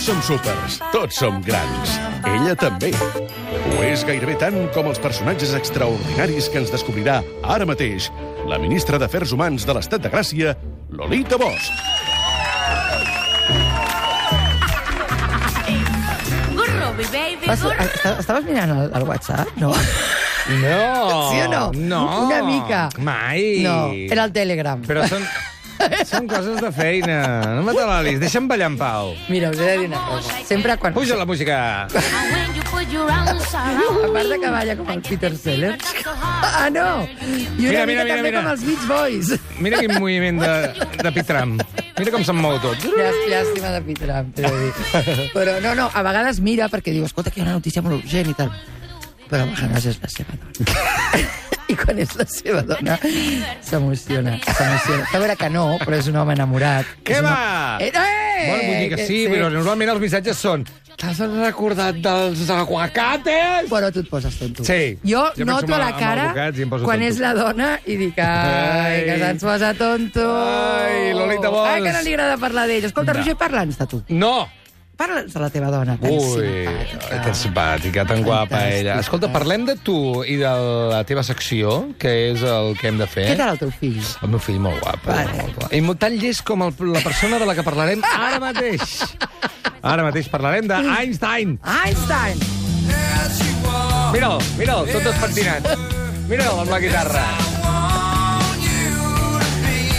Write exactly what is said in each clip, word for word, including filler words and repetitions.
Tots som súpers, tots som grans. Ella també. Ho és gairebé tant com els personatges extraordinaris que ens descobrirà ara mateix la ministra d'Afers Humans de l'Estat de Gràcia, Lolita Bosch. Estaves mirant el, el WhatsApp, no? No. Sí o no? No. Una mica. Mai. No, era el Telegram. Però són, són coses de feina. No m'atalalis, deixa'm ballar en pau. Mira, us he de dir una cosa. Sempre quan... Puja la música. A part de que balla com el Peter Sellers. Ah, no! I una Mira, mica mira, mira, també mira. com els Beach Boys. Mira quin moviment de, de pitram. Mira com se'n mou tot. Llàstima, llàstima de Pitram, t'he de dir. Però no, no, a vegades mira perquè diu, escolta, que hi ha una notícia molt urgent i tal. Però a vegades és la seva dona. I quan és la seva dona, s'emociona. S'emociona. A veure que no, però és un home enamorat. Què És va? una... Eh, eh, Bueno, vull dir que sí, però normalment els missatges són t'has recordat dels aguacates? Però tu et poses tonto. Sí. Jo, Jo noto penso a la en cara avocats i em poso quan tonto. és la dona i dic, ai, que se'ns posa tonto. Ai, Lolita Bosch. Ai, que no li agrada parlar d'ell. Escolta, No. Roger, parla'ns de tu. No! Parla'ns de la teva dona, tan Ui, simpàtica. tan simpàtica, tan guapa Fantàstica. ella. Escolta, parlem de tu i de la teva secció, que és el que hem de fer. Què tal el teu fill? El meu fill molt guapo. Vale. Molt guapo. I molt tan llest com el, la persona de la que parlarem ara mateix. Ara mateix parlarem d'Einstein. Einstein! Mira'l, mira'l, tot despentinat. Mira'l amb la guitarra.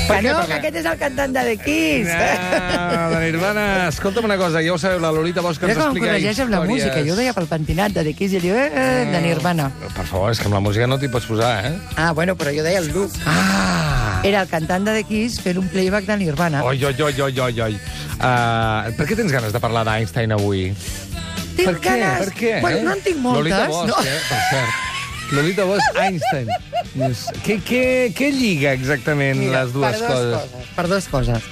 Per Que què no, parlem? que aquest és el cantant de The Kiss. Ah, de Nirvana. Escolta'm una cosa, ja ho sabeu, la Lolita Bosch que ens Mira com em explica corregeix amb la històries. música. Jo ho deia pel pentinat de The Kiss i ell diu, eh, de Nirvana. Per favor, és que amb la música no t'hi pots posar, eh? Ah, bueno, però jo deia el Luke. Ah! Era el cantant de The Kiss fent un playback de Nirvana. Oi, oi, oi, oi, oi, oi. Uh, per què tens ganes de parlar d'Einstein avui? Tinc Per què? ganes. Per què? Bueno, eh? no en tinc moltes. Lolita Bosch, no. eh? Per cert. Lolita Bosch, Einstein. Què, què, què lliga exactament Mira, les dues per dos coses? coses? Per dues coses.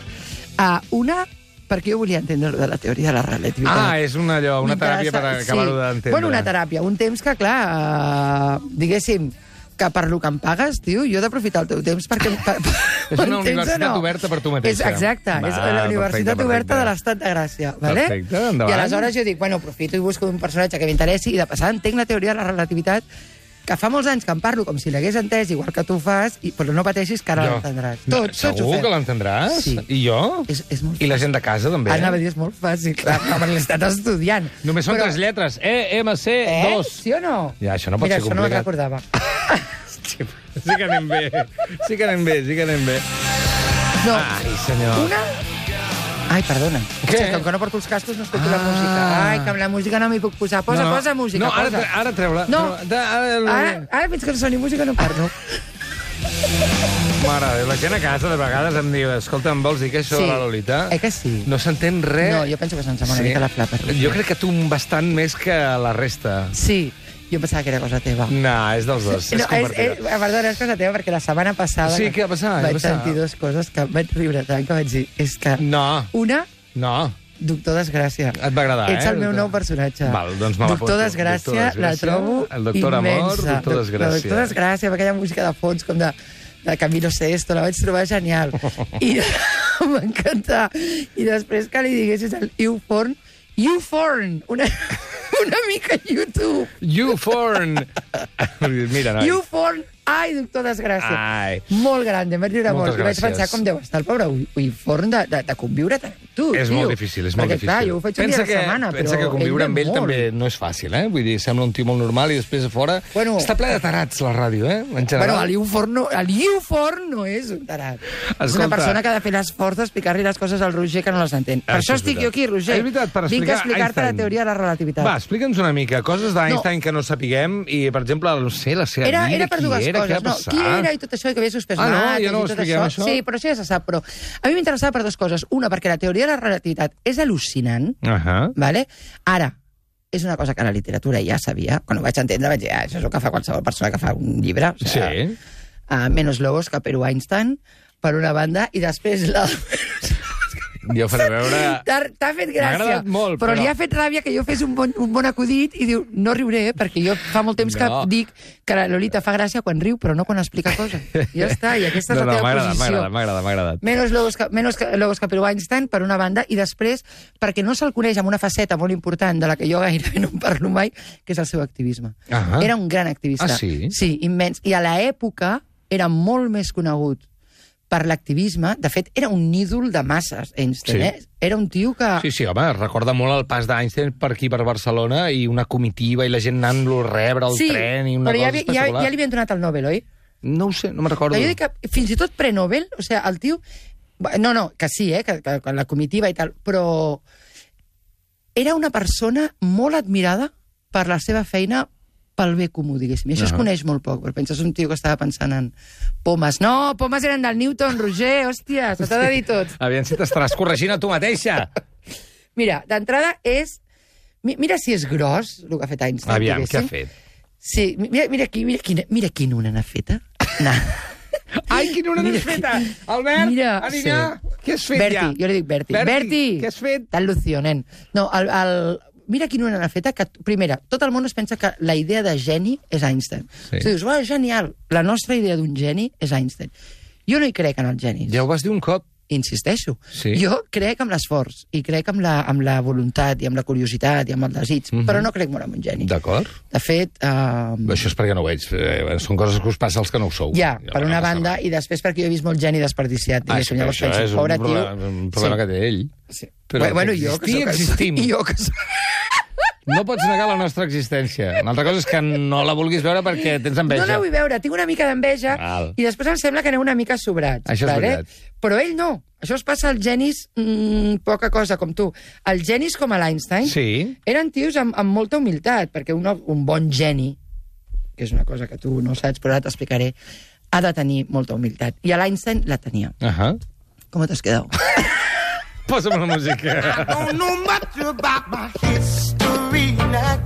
Uh, una, perquè jo volia entendre de la teoria de la relativitat. Ah, és una, allò, una teràpia per M'interessa- acabar-ho sí. d'entendre. Bueno, una teràpia. Un temps que, clar, uh, diguéssim, que per lo que em pagues, tio, jo he d'aprofitar el teu temps perquè... Per, per, És una entens o universitat oberta per tu mateixa. És, exacte, Va, és la Universitat perfecte, Oberta perfecte. de l'Estat de Gràcia. Vale? Perfecte, endavant. I aleshores jo dic, bueno, aprofito i busco un personatge que m'interessi i de passada entenc la teoria de la relativitat que fa molts anys que en parlo com si l'hagués entès, igual que tu fas, i, però no pateixis que ara Jo. l'entendràs. No, Tots, tots ho segur fem. que l'entendràs? Sí. I jo? És, és molt I la gent de casa, també? Anava a dir, és molt fàcil, clar, com l'he estat estudiant. Només són Però- tres lletres. E, M, C, Eh? dos. Sí o no? Ja, això no pot Mira, ser això no me'n complicat. recordava. Sí que anem bé. Sí que anem bé, sí que anem bé. No, Ai, senyor. una... Ai, perdona. Què? Hòstia, com que no porto els cascos no escolto la Ah. música. Ai, que amb la música no m'hi puc posar. Posa, No, no. posa música, No, ara, posa. tre- ara treu-la. No. Treu- de- ara- Ara, ara fins que no soni música no parlo. Mare, de Déu, la gent a casa de vegades em diu escolta, em vols dir què és això Sí. de la Lolita? Eh que sí? No s'entén res. No, jo penso que se'ns sembla una mica la flapa. Jo crec que tu bastant més que la resta. Sí, jo pensava que era cosa teva. No, és dels dos. No, és és, és, compartida. perdona, és cosa teva, perquè la setmana passada Sí, què ha passat? Què ha vaig passat? sentir dues coses que vaig riure tant que vaig dir. És que No, una, no. Doctor Desgràcia. Et va agradar, Ets eh? el meu nou personatge. Val, doncs me Doctor l'apunto. Desgràcia, Doctor la Desgràcia, trobo el Doctor Amor, immensa. Doctor Desgràcia. La Doctor Desgràcia, amb aquella música de fons com de, de Camilo Sesto, la vaig trobar genial. I m'encanta. I després que li diguessis el YouForn, YouForn, una, una mica YouTube. YouForn. Mira, noi. YouForn, ai, Doctor Desgràcia. Ai. Molt gran, em vaig riure Moltes molt. I vaig gràcies. pensar com deu estar el pobre YouForn de, de, de conviure tant amb tu, És tio. molt difícil, és molt Perquè, difícil. clar, jo ho faig un pensa dia a que, la setmana, pensa però que conviure ell amb ve ell molt. també no és fàcil, eh? Vull dir, sembla un tio molt normal i després a fora... Bueno. Està ple de tarats, la ràdio, eh? En Bueno, general. el YouForn no, el YouForn no és un tarat. És una Escolta. persona que ha de fer l'esforç d'explicar-li les coses al Roger que no les entén. Per Això això és estic veritat. jo aquí, Roger. És veritat, per Vinc a explicar explicar-te la Einstein. teoria de la relativitat. Va, explica'ns una mica, coses d'Einstein que no sapiguem i, per exemple, no sé, la seva Era, vida, era per qui dues era, què coses. ha No, passat? qui era i tot això, i que havia suspès Ah, no? mates Ja no ho i tot expliquem, això. això? Sí, però això ja se sap. Però a mi m'interessava per dues coses. Una, perquè la teoria de la relativitat és al·lucinant, Uh -huh. vale? Ara, és una cosa que la literatura ja sabia. Quan ho vaig entendre vaig dir, ah, això és el que fa qualsevol persona que fa un llibre. O sigui, Sí. uh, menos lobos que Perú Einstein, per una banda, i després la... Jo faré veure... T'ha fet gràcia. M'ha agradat molt, però... però... li ha fet ràbia que jo fes un bon, un bon acudit i diu, no riuré, perquè jo fa molt temps que No. dic que la Lolita fa gràcia quan riu, però no quan explica coses. Ja està, i aquesta és No, la no, teva m'ha agradat, m'ha posició. agradat, m'ha agradat, m'ha agradat. Menos Logos, menos Logos Capello Einstein, per una banda, i després, perquè no se'l coneix amb una faceta molt important de la que jo gairebé no en parlo mai, que és el seu activisme. Ah. Era un gran activista. Ah, sí? Sí, immens. I a l'època era molt més conegut per l'activisme. De fet, era un ídol de masses, Einstein, Sí. eh? Era un tio que... Sí, sí, home, recorda molt el pas d'Einstein per aquí, per Barcelona, i una comitiva, i la gent anant-lo a rebre al sí, tren, i una però cosa ja, ja, espectacular. ja li havien donat el Nobel, oi? No ho sé, no me'n recordo. Jo dic que fins i tot pre-Nobel, o sigui, el tio... No, no, que sí, eh, que, que, que la comitiva i tal, però era una persona molt admirada per la seva feina pel bé comú, diguéssim. I això uh -huh. es coneix molt poc, perquè penses un tio que estava pensant en pomes. No, pomes eren del Newton, Roger, hòstia, se t'ha de dir tot. Aviam si t'estaràs corregint a tu mateixa. Mira, d'entrada és... mi- Mira si és gros, el que ha fet Einstein. Aviam, què ha diguéssim. fet? Sí, mira, mira aquí, mira quina, mira quina una n'ha feta. Na. Ai, quina una Mira n'has feta! Albert, Mira, Anina, sí. què has fet Berti, ja? jo li dic Berti. Berti, Berti, què has fet? Tan lucio, nen. No, el, el... Mira quina una n'ha feta, que, primera, tot el món es pensa que la idea de geni és Einstein. Sí. O sigui, dius, oh, genial, la nostra idea d'un geni és Einstein. Jo no hi crec en els genis. Ja ho vas dir un cop. Insisteixo. Sí. Jo crec en l'esforç, i crec en la, amb la voluntat, i amb la curiositat, i amb el desig, Mhm. però no crec molt en un geni. D'acord. De fet... Eh, Això és perquè no ho veig. Eh, són coses que us passa als que no ho sou. ja, Ja, per no una passa banda, res. i després perquè jo he vist molt geni desperdiciat. Ah, és diguéssim, que llavors això penso, és un pobre problema, tio... un problema Sí. que té ell. Sí. Però bueno, que jo que existir, soc... existim. I jo que soc... No pots negar la nostra existència. Una altra cosa és que no la vulguis veure perquè tens No enveja. la vull veure, tinc una mica d'enveja Val. i després em sembla que aneu una mica sobrats. Això és vale? veritat. Però ell no. Això es passa als genis mmm, poca cosa, com tu. Els genis com a l'Einstein Sí. eren tios amb, amb molta humilitat, perquè un, un bon geni, que és una cosa que tu no saps, però ara t'explicaré, ha de tenir molta humilitat. I a l'Einstein la tenia. Uh -huh. Com t'has quedat? Posa'm la música. Don't know much about my history now.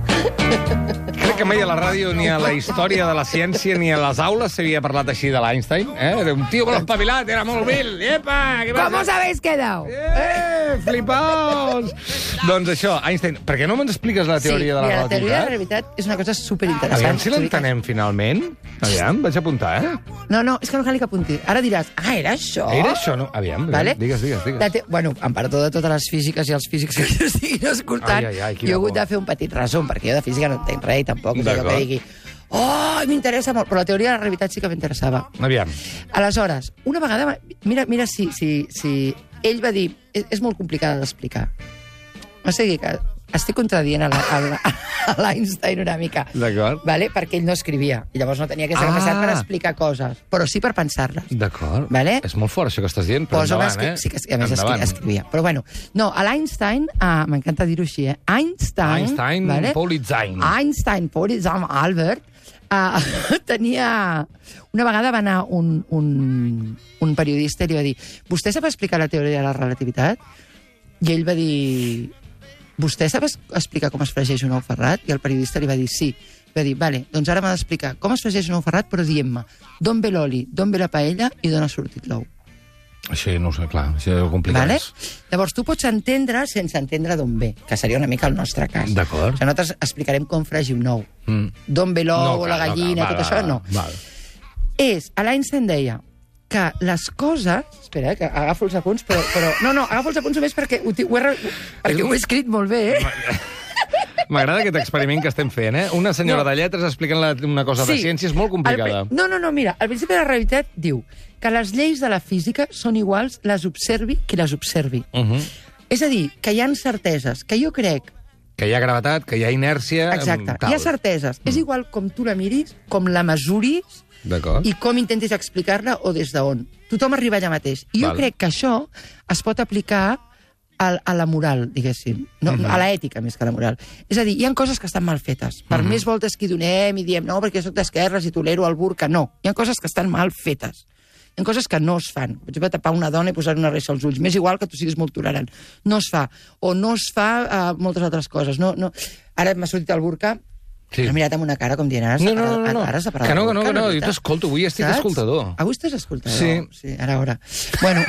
Crec que mai a la ràdio, ni a la història de la ciència, ni a les aules s'havia parlat així de l'Einstein. Eh? Era un tio molt espavilat, era molt vil. Epa, què ¿Cómo passa? os habéis quedado? Eh, flipaos! Doncs això, Einstein, per què no me'ns expliques la teoria de la mira, la teoria de la relativitat? relativitat és una cosa superinteressant. Aviam si l'entenem finalment. Aviam, vaig apuntar, eh? No, no, és que no cal que apunti. Ara diràs, ah, era això? Era això, no? Aviam, aviam. Vale? digues, digues, digues. La te... Bueno, em perdó de totes les físiques i els físics que ens estiguin escoltant. Ai, ai, ai, quina jo he hagut por. de fer un petit resum, perquè jo de física no entenc res, i tampoc és allò D'acord. que digui oh, m'interessa molt, però la teoria de la realitat sí que m'interessava. Aviam. Aleshores, una vegada... va- Mira, mira si, si, si ell va dir... És, és molt complicada d'explicar. O sigui que estic contradient a la- a la- a l'Einstein una mica. D'acord. Vale? Perquè ell no escrivia. I llavors no tenia que ser Ah. capacitat per explicar coses, però sí per pensar-les. D'acord. Vale? És molt fort, això que estàs dient, però Posa'm endavant, escri- eh? Sí, que, a més escri Endavant. escrivia. Però bueno, no, a l'Einstein, uh, m'encanta dir-ho així, eh? Einstein... Einstein, vale? Politzine. Einstein, Politzine, Albert, uh, tenia... Una vegada va anar un, un, un periodista i li va dir vostè sap explicar la teoria de la relativitat? I ell va dir vostè sap es- explicar com es fregeix un ou ferrat? I el periodista li va dir sí. Va dir, vale, doncs ara m'ha d'explicar com es fregeix un ou ferrat, però dient-me d'on ve l'oli, d'on ve la paella i d'on ha sortit l'ou. Això no ho sé, clar, això és complicat. Vale? Llavors, tu pots entendre sense entendre d'on ve, que seria una mica el nostre cas. D'acord. O sigui, nosaltres explicarem com fregir un ou. Mm. D'on ve l'ou, No, la clar, no, gallina, clar, tot val, això, val, no. val. És, a l'Einstein deia que les coses... Espera, eh, que agafo els apunts, però... però no, no, agafo els apunts només perquè ho, ti- ho, he, re- perquè ho he escrit molt bé, eh? M'agrada aquest experiment que estem fent, eh? Una senyora No. de lletres explicant la, una cosa de ciència és molt complicada. El pri- no, no, no, mira, el principi de la realitat diu que les lleis de la física són iguals les observi qui les observi. Uh -huh. És a dir, que hi ha certeses, que jo crec... Que hi ha gravetat, que hi ha inèrcia... Exacte, tal. hi ha certeses. Mm. És igual com tu la miris, com la mesuris D'acord. i com intentis explicar-la o des d'on. Tothom arriba allà mateix. I jo Val. crec que això es pot aplicar a, a la moral, diguéssim. No, Mhm. a l'ètica, més que a la moral. És a dir, hi ha coses que estan mal fetes. Per Mhm. més voltes que hi donem i diem no, perquè jo soc d'esquerres i tolero el burca, no. Hi ha coses que estan mal fetes. Hi ha coses que no es fan. Per exemple, tapar una dona i posar una reixa als ulls. M'és igual que tu siguis molt tolerant. No es fa. O no es fa uh, moltes altres coses. No, no. Ara m'ha sortit el burca. Sí. M'ha mirat amb una cara com dient, ara has No, de no, parar- no, no. ara has de parar Que el no, que no, burca, que no, la jo veritat. t'escolto, avui estic Saps? escoltador. Avui estàs escoltador? Sí. Sí, ara, ara. Bueno,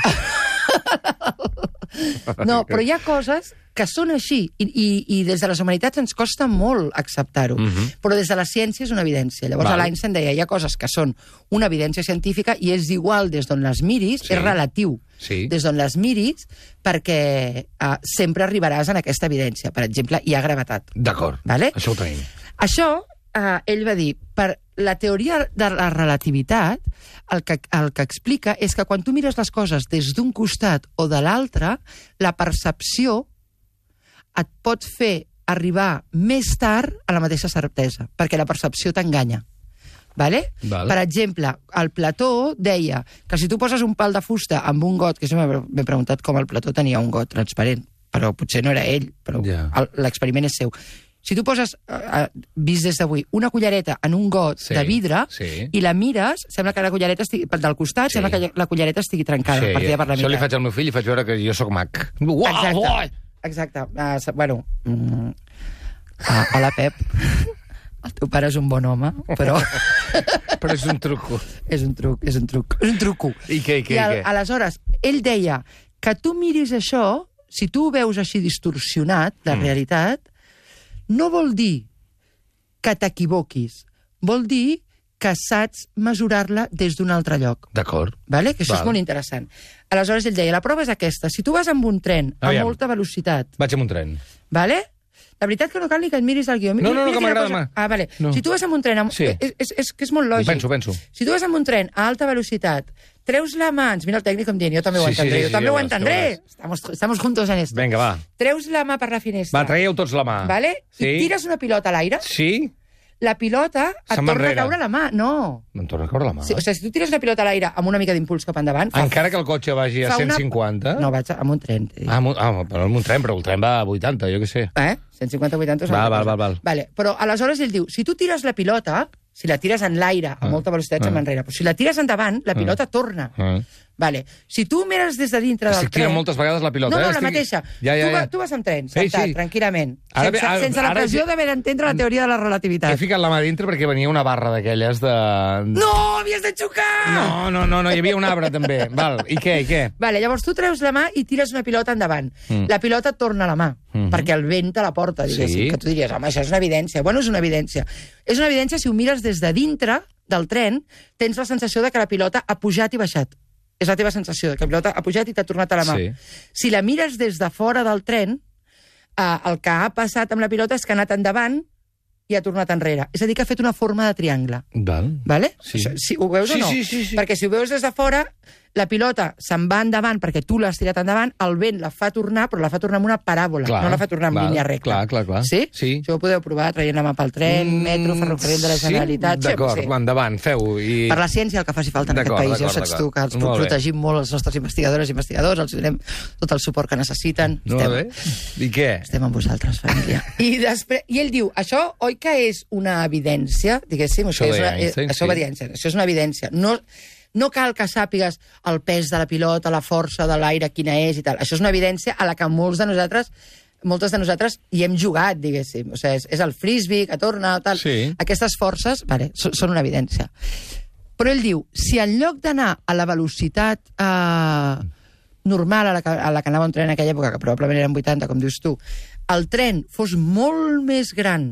No, però hi ha coses que són així, i, i, i des de les humanitats ens costa molt acceptar-ho. Mhm. Mm-hmm. Però des de la ciència és una evidència. Llavors, Val. l'Einstein deia, hi ha coses que són una evidència científica i és igual des d'on les miris, Sí. és relatiu. Sí. Des d'on les miris, perquè uh, sempre arribaràs en aquesta evidència. Per exemple, hi ha gravetat. D'acord, Vale? això ho tenim. Això, eh, ell va dir, per la teoria de la relativitat, el que, el que explica és que quan tu mires les coses des d'un costat o de l'altre, la percepció et pot fer arribar més tard a la mateixa certesa, perquè la percepció t'enganya. Vale? Val. Per exemple, el Plató deia que si tu poses un pal de fusta amb un got, que sempre m'he preguntat com el Plató tenia un got transparent, però potser no era ell, però Ja. el- l'experiment és seu. Si tu poses, eh, vist des d'avui, una cullereta en un got Sí, de vidre sí. i la mires, sembla que la cullereta estigui, del costat, Sí. sembla que la cullereta estigui trencada, Sí, partida per la això li meitat. faig al meu fill i faig veure que jo sóc mag. Uau, Exacte, uau! exacte. Uh, bueno, mm, uh, hola, Pep. El teu pare és un bon home, però Però és un truco. és un truc, és un truc, és un truco. I què, i què, I al, i què? aleshores, ell deia que tu miris això, si tu ho veus així distorsionat, la Mm. realitat, no vol dir que t'equivoquis, vol dir que saps mesurar-la des d'un altre lloc. D'acord. Vale? Que això Val. és molt interessant. Aleshores, ell deia, la prova és aquesta. Si tu vas amb un tren a Aviam. molta velocitat, Vaig amb un tren. vale? La veritat que no cal ni que et miris el guió. No, no, no, Mira que quina m'agrada cosa- mà. Ah, vale. No. Si tu vas amb un tren... Amb... Sí. És, és, és que és molt Ho lògic. penso, ho penso. Si tu vas amb un tren a alta velocitat, treus la mà... Ens mira el tècnic com dient, jo també ho Sí, sí, entendré, sí, jo sí, també ja ho veuràs, ja entendré. Estamos, estamos juntos en esto. Vinga, va. Treus la mà per la finestra. Va, traieu tots la mà. Vale? Sí. I tires una pilota a l'aire, Sí? la pilota et Se'n va torna a enrere. caure a la mà. No. Me'n torna a caure la mà. Sí, o sigui, si tu tires una pilota a l'aire amb una mica d'impuls cap endavant... fa- Encara que el cotxe vagi a fa una- cent cinquanta? No, vaig amb un tren. t'he dit. Ah, amb un- ah, però amb un tren, però el tren va a vuitanta, jo què sé. Eh? cent cinquanta vuitanta és Val, una val, cosa. val, val. Vale. Però aleshores ell diu, si tu tires la pilota, si la tires en l'aire a Ah. molta velocitat, Ah. se'n va enrere. Però si la tires endavant, la pilota torna. Ah. Vale. Si tu mires des de dintre del Estic tirant tren... moltes vegades la pilota, No, eh? no, la Estic- mateixa. Ja, ja, tu, va, ja. tu vas en tren, Sí, sentat, sí. tranquil·lament, Ara sense, ve- ara- sense la ara pressió ja- d'haver d'entendre la teoria de la relativitat. He ficat la mà dintre perquè venia una barra d'aquelles de... No, havies de xocar! No, no, no, no, hi havia un arbre també. Val, i què, i què? Vale, llavors tu treus la mà i tires una pilota endavant. Mm. La pilota et torna a la mà, Mhm. perquè el vent te la porta, diguéssim. Sí. Que tu diries, home, això és una evidència. Bueno, és una evidència. És una evidència si ho mires des de dintre del tren, tens la sensació de que la pilota ha pujat i baixat. És la teva sensació, que la pilota ha pujat i t'ha tornat a la mà. Sí. Si la mires des de fora del tren, eh, el que ha passat amb la pilota és que ha anat endavant i ha tornat enrere. És a dir, que ha fet una forma de triangle. Val. Vale? Sí. Això, si ho veus Sí, o no? sí, sí, sí. Perquè si ho veus des de fora, la pilota se'n va endavant perquè tu l'has tirat endavant, el vent la fa tornar, però la fa tornar amb una paràbola, Clar, no la fa tornar en val, línia recta. clar, clar, clar. Sí? Sí. Això ho podeu provar traient la mà pel tren, Mm, metro, ferrocarril de la Generalitat... Sí? D'acord, sí. endavant, feu-ho. I... Per la ciència el que faci falta en aquest D'acord, país, ja ho d'acord, saps tu, que els d'acord. Molt bé. protegim molt els nostres investigadores i investigadors, els donem tot el suport que necessiten. Molt Estem, bé. I què? estem amb vosaltres, família. I, després, I ell diu, això oi que és una evidència, diguéssim, Això és deia una, Einstein, això, sí. va dir Einstein, això és una evidència. No, no cal que sàpigues el pes de la pilota, la força de l'aire, quina és i tal. Això és una evidència a la que molts de nosaltres moltes de nosaltres hi hem jugat, diguéssim. O sigui, és, és el frisbee que torna, tal. Sí. Aquestes forces, vale, són, són una evidència. Però ell diu, si en lloc d'anar a la velocitat eh, normal a la, que, a la que anava un tren en aquella època, que probablement eren vuitanta, com dius tu, el tren fos molt més gran,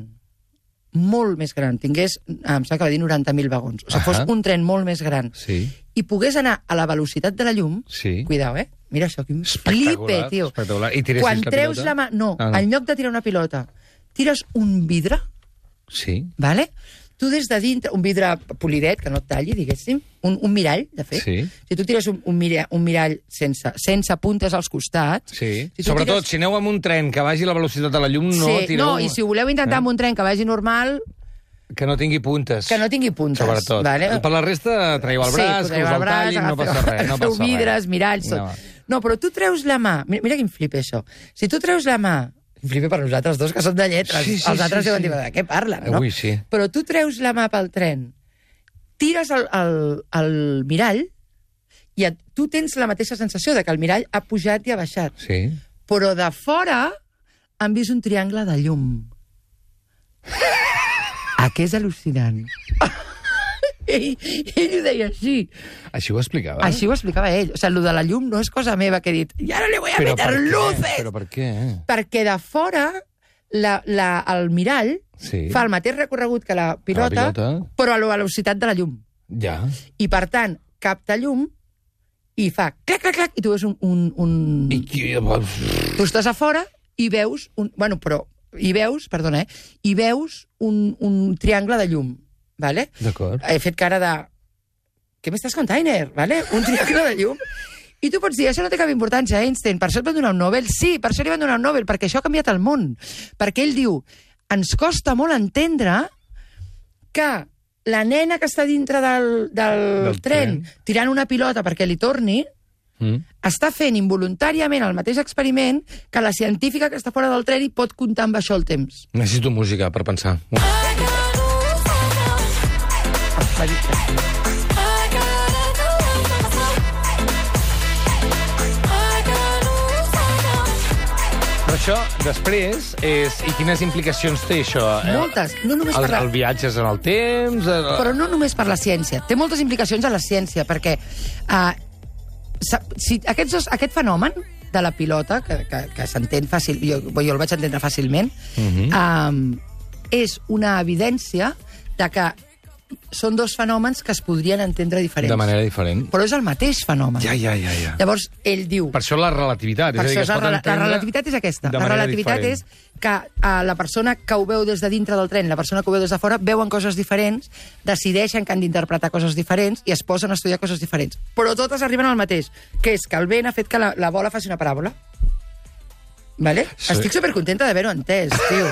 molt més gran, tingués, em sembla que va dir noranta mil vagons, o sigui, fos Ahà. un tren molt més gran, Sí. i pogués anar a la velocitat de la llum, Sí. cuidao, eh? Mira això, quin Espectacular, flipe, tio. espectacular. I tiressis Quan la treus pilota? la mà... No, Ah, no. en lloc de tirar una pilota, tires un vidre, Sí. vale? Tu des de dintre, un vidre polidet, que no et talli, diguéssim, un, un mirall, de fet. Sí. Si tu tires un, un, mirall, un mirall sense, sense puntes als costats... Sí. Si tu Sobretot, tires- si aneu amb un tren que vagi a la velocitat de la llum, no sí, tireu... no, i si ho voleu intentar Eh? amb un tren que vagi normal, Que no tingui puntes. que no tingui puntes. Sobretot. Vale? Per la resta, traieu el braç, sí, que us el tallin, no passa res. No Agafeu passa vidres, res. miralls, tot. No. No. no, però tu treus la mà... Mira, mira quin flip això. Si tu treus la mà... Flipe per nosaltres dos, que són de lletres. Sí, sí, Els altres sí, deuen sí. dir, de què parlen, no? Avui sí. Però tu treus la mà pel tren, tires el, el, el mirall i et, tu tens la mateixa sensació de que el mirall ha pujat i ha baixat. Sí. Però de fora han vist un triangle de llum. Ah, que és al·lucinant. ell, ell ho deia així. Així ho explicava? Així ho explicava ell. O sigui, el de la llum no és cosa meva que he dit, i ara li voy a Però meter per què? luces! Però per què? Perquè de fora la, la, el mirall Sí. fa el mateix recorregut que la pilota, La pilota. però a la velocitat de la llum. Ja. I, per tant, capta llum i fa clac, clac, clac, i tu veus un... un, un... I qui... Tu estàs a fora i veus... Un... Bueno, però... I veus, perdona, eh? I veus un, un triangle de llum, vale? D'acord. He fet cara de... Què m'estàs container, vale? Un triangle de llum. I tu pots dir, això no té cap importància, Einstein, per això et van donar un Nobel. Sí, per això li van donar un Nobel, perquè això ha canviat el món. Perquè ell diu, ens costa molt entendre que la nena que està dintre del, del, Del tren, tren. tirant una pilota perquè li torni, Mm. està fent involuntàriament el mateix experiment que la científica que està fora del tren i pot comptar amb això el temps. Necessito música per pensar. Però això, després, és... I quines implicacions té això? Moltes. No només El, per la... el viatges en el temps... El... Però no només per la ciència. Té moltes implicacions a la ciència, perquè uh, si aquests dos, aquest fenomen de la pilota, que, que, que s'entén fàcil, jo, jo el vaig entendre fàcilment, uh -huh. um, és una evidència de que són dos fenòmens que es podrien entendre diferents. De manera diferent. Però és el mateix fenomen. Ja, ja, ja, ja. Llavors, ell diu... Per això la relativitat. Per és a dir, això que és es la, pot la entendre relativitat és aquesta. de La manera relativitat diferent. és que uh, la persona que ho veu des de dintre del tren i la persona que ho veu des de fora veuen coses diferents, decideixen que han d'interpretar coses diferents i es posen a estudiar coses diferents. Però totes arriben al mateix, que és que el vent ha fet que la, la bola faci una paràbola. Vale? Sí. Estic supercontenta d'haver-ho entès, tio.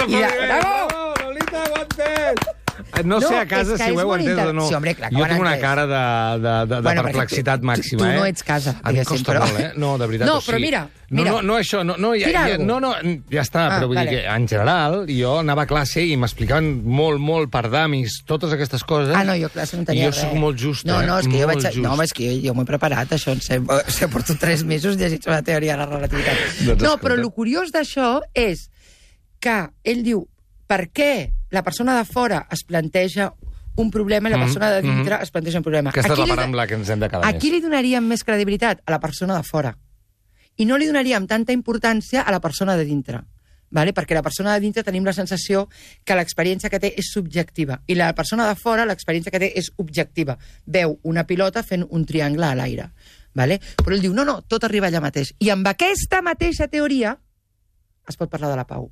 I de... Bravo! Lolita, ho ha entès! No, No, sé a casa és que si ho és heu molt entès inter- o no. Sí, home, clar que jo ho han tinc una entès. cara de, de, de, de Bueno, perquè perplexitat tu- màxima, tu eh? no ets casa, Em diguéssim, costa però- molt, eh? No, de veritat, No, o sigui... però mira, mira. No, no, no això, no, no, ja, Tira ja, algo. no, no, ja està, Ah, però vull vale. dir que en general jo anava a classe i m'explicaven molt, molt per damis totes aquestes coses. Ah, no, jo classe no tenia I jo res. sóc molt just, no, eh? no, és que jo Molt vaig... just. No, home, és que jo, jo m'ho he preparat, això. En sé, o sigui, porto tres mesos llegint sobre la teoria de la relativitat. Doncs No, escolta. però el curiós d'això és que ell diu per què la persona de fora es planteja un problema i la persona de dintre mm-hmm. es planteja un problema. Aquesta és Aquí la li- part amb la que ens hem de quedar A més. qui li donaríem més credibilitat? A la persona de fora. I no li donaríem tanta importància a la persona de dintre. Vale? Perquè la persona de dintre tenim la sensació que l'experiència que té és subjectiva. I la persona de fora, l'experiència que té és objectiva. Veu una pilota fent un triangle a l'aire. Vale? Però ell diu, no, no, tot arriba allà mateix. I amb aquesta mateixa teoria es pot parlar de la pau.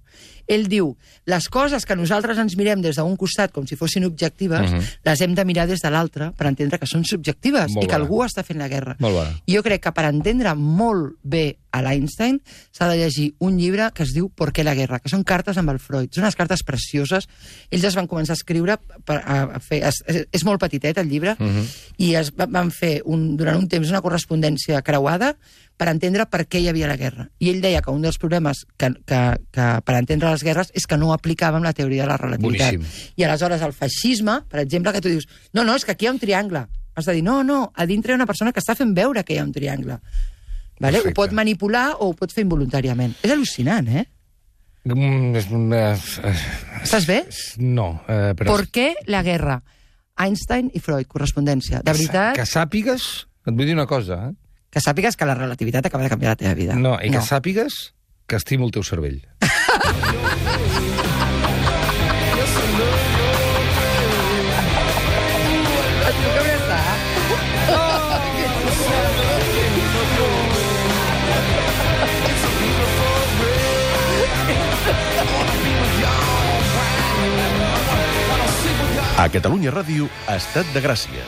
Ell diu, les coses que nosaltres ens mirem des d'un costat com si fossin objectives, Mhm. les hem de mirar des de l'altre per entendre que són subjectives Molt i que bona. algú està fent la guerra. Molt bona. I jo crec que per entendre molt bé a l'Einstein s'ha de llegir un llibre que es diu ¿Por qué la guerra?, que són cartes amb el Freud. Són unes cartes precioses. Ells es van començar a escriure per, a, a fer... És, és molt petitet, el llibre, Mhm. i es va- van fer un, durant un temps una correspondència creuada per entendre per què hi havia la guerra. I ell deia que un dels problemes que, que, que per entendre les guerres és que no aplicàvem la teoria de la relativitat. Boníssim. I aleshores el feixisme, per exemple, que tu dius, no, no, és que aquí hi ha un triangle. Has de dir, no, no, a dintre hi ha una persona que està fent veure que hi ha un triangle. Vale? Perfecte. Ho pot manipular o ho pot fer involuntàriament. És al·lucinant, eh? Mm, és, eh, Estàs bé? no, eh, però... ¿Por qué la guerra? Einstein i Freud, correspondència. De veritat, Que sàpigues... Et vull dir una cosa, eh? que sàpigues que la relativitat acaba de canviar la teva vida. No, i que sàpigues que estimo el teu cervell. A Catalunya Ràdio, Estat de Gràcia.